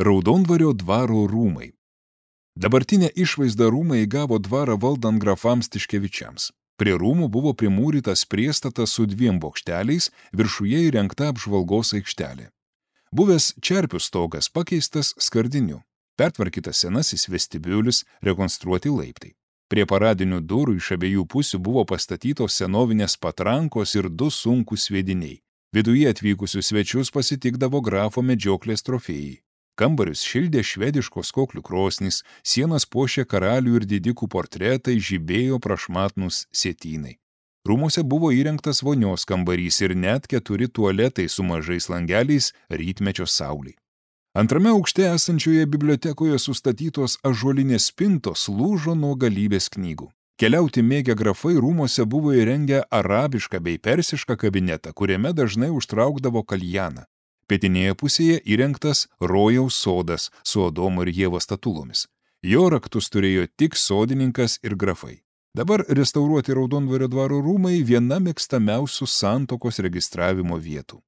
Raudondvario dvaro rūmai. Dabartinę išvaizdą rūmai įgavo dvarą valdant grafams Tiškevičiams. Prie rūmų buvo primūrytas priestatas su 2 bokšteliais, viršuje įrengta apžvalgos aikštelė. Buvęs čerpių stogas pakeistas skardiniu. Pertvarkytas senasis vestibiulis, rekonstruoti laiptai. Prie paradinių durų iš abiejų pusių buvo pastatytos senovinės patrankos ir 2 sunkūs sviediniai. Viduje atvykusius svečius pasitikdavo grafo medžioklės trofėjai. Kambarius šildė švediškos koklių krosnys, sienas puošė karalių ir didikų portretai, žibėjo prašmatnūs sietynai. Rūmuose buvo įrengtas vonios kambarys ir net 4 tualetai su mažais langeliais rytmečio saulei. Antrame aukšte esančioje bibliotekoje sustatytos ąžuolinės spintos lūžo nuo galybės knygų. Keliauti mėgę grafai rūmuose buvo įrengę arabišką bei persišką kabinetą, kuriame dažnai užtraukdavo kaljaną. Pietinėje pusėje įrengtas rojaus sodas su Adomo ir Ievos statulomis. Jo raktus turėjo tik sodininkas ir grafai. Dabar restauruoti Raudondvario dvaro rūmai viena mėgstamiausių santuokos registravimo vietų.